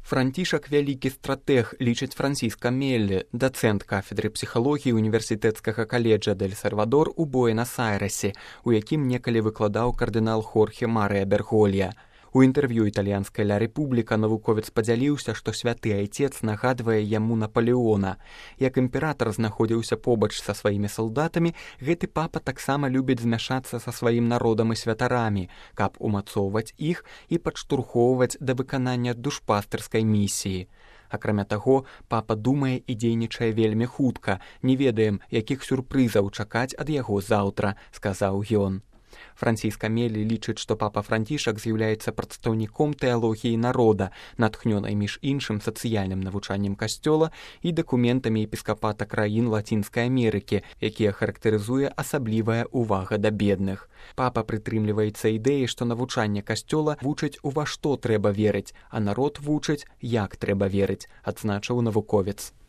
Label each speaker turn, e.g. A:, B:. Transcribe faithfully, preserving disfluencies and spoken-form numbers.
A: Францішак вялікі стратэг, лічыць Франсіска Меллі, дацэнт кафедры псіхалогіі універсітэцкага каледжа Дель-Сальвадор у Буэнас-Айрэсе, у якім некалі выкладаў кардынал Хорхе Марыя Берголья. У інтэрв'ю італьянскай «Ля Рэпубліка» навуковец падзяліўся, што святы айцец нагадвае яму Напалеона. Як імператар знаходзіўся побач са сваімі салдатамі, гэты папа таксама любіць змяшацца са сваім народам і святарамі, каб умацоўваць іх і падштурхоўваць да выканання душпастырскай місіі. Акрамя таго, папа думае і дзейнічае вельмі хутка, не ведаем, якіх сюрпрызаў чакаць ад яго заўтра, сказаў ён. Франціска Меллі лічыць, што папа Францішак з'яўляецца прадстаўніком тэалогіі народа, натхнёнай між іншым сацыяльным навучаннем касцёла і дакументамі епіскапата краін Лацінскай Амерыкі, якія характарызуе асаблівая ўвага да бедных. Папа прытрымліваецца ідэі, што навучанне касцёла вучыць, у ва што трэба верыць, а народ вучыць, як трэба верыць, адзначыў навуковец.